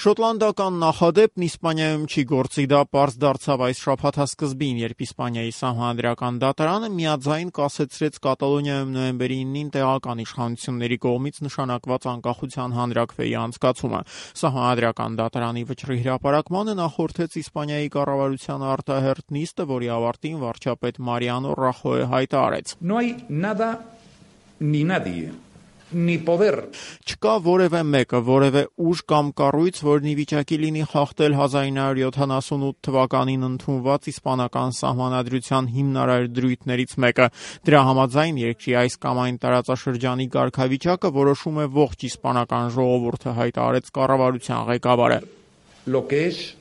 Շոտլանդական նախադեպն Իսպանիայում չի գործի, դա պարզ դարձավ այս շաբաթասկզբին, երբ Իսպանիայի սահմանադրական դատարանը միաձայն կասեցրեց Կատալոնիայում նոյեմբերի 9-ին տեղական իշխանությունների կողմից նշանակված անկախության հանրաքվեի անցկացումը։ Սահմանադրական դատարանի վճռի հրապարակմանը նախորդեց Իսպանիայի կառավարության արտահերթ նիստը, որի ավարտին վարչապետ Մարիանո Ռախոյը հայտարարեց. No hay nada ni nadie. Չկա որևէ մեկը, որևէ ուժ կամ կառույց, որն ի վիճակի լինի խախտել 1978 թվականին ընդունված իսպանական սահմանադրության հիմնարար դրույթներից մեկը։ Դրա համաձայն երկրի այս կամ այն տարածաշրջանի կարգավիճակը որոշում է ողջ իսպանական ժողովուրդը, հայտարարեց կառավարության ղեկավարը։ Lo que es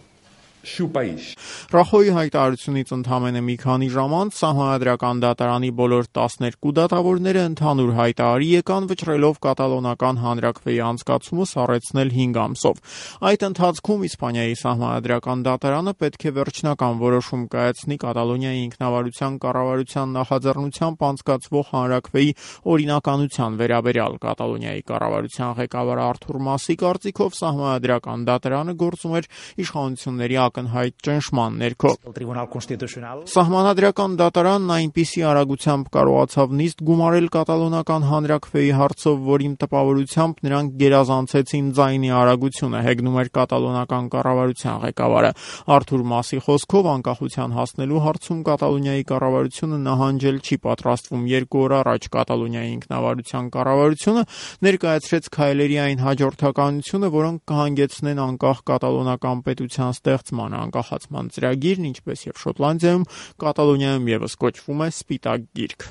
su país. Ռախոյի հայտարարությունից ընդամենը մի քանի ժամ անց սահմանադրական դատարանի բոլոր 12 դատավորները ընդհանուր հայտարարի եկան, վճռելով կատալոնական հանրաքվեի անցկացումը սառեցնել 5 ամսով։ Այդ ընթացքում Իսպանիայի սահմանադրական դատարանը պետք է վերջնական որոշում կայացնի Կատալոնիայի ինքնավարության կառավարության նախաձեռնությամբ անցկացվող հանրաքվեի օրինականության վերաբերյալ։ Կատալոնիայի կառավարության ղեկավար Արթուր Մասի կարծիքով սահմանադրական դատարանը գործում էր իշխանությունների ակնհայտ ճնշման ներքո։ Սահմանադրական դատարանն այնպիսի արագությամբ կարողացավ նիստ գումարել կատալոնական հանրաքվեի հարցով, որի տպավորությամբ նրանք գերազանցեցին ձայնի արագությունը, հեգնում էր կատալոնական կառավարության ղեկավարը։ Արթուր Մասի խոսքով անկախության հասնելու հարցում Կատալոնիայի կառավարությունը նահանջել չի պատրաստվում։ 2 օր առաջ Կատալոնիայի ինքնավարության կառավարությունը ներկայացրեց քայլերի այն հաջորդականությունը, որոնք կհանգեցնեն անկախ կատալոնական պետության ստեղծման, անկախացման ծրագիրն, ինչպես եւ Շոտլանդիայում, Կատալոնիայում եւս կոչվում է Սպիտակ գիրք։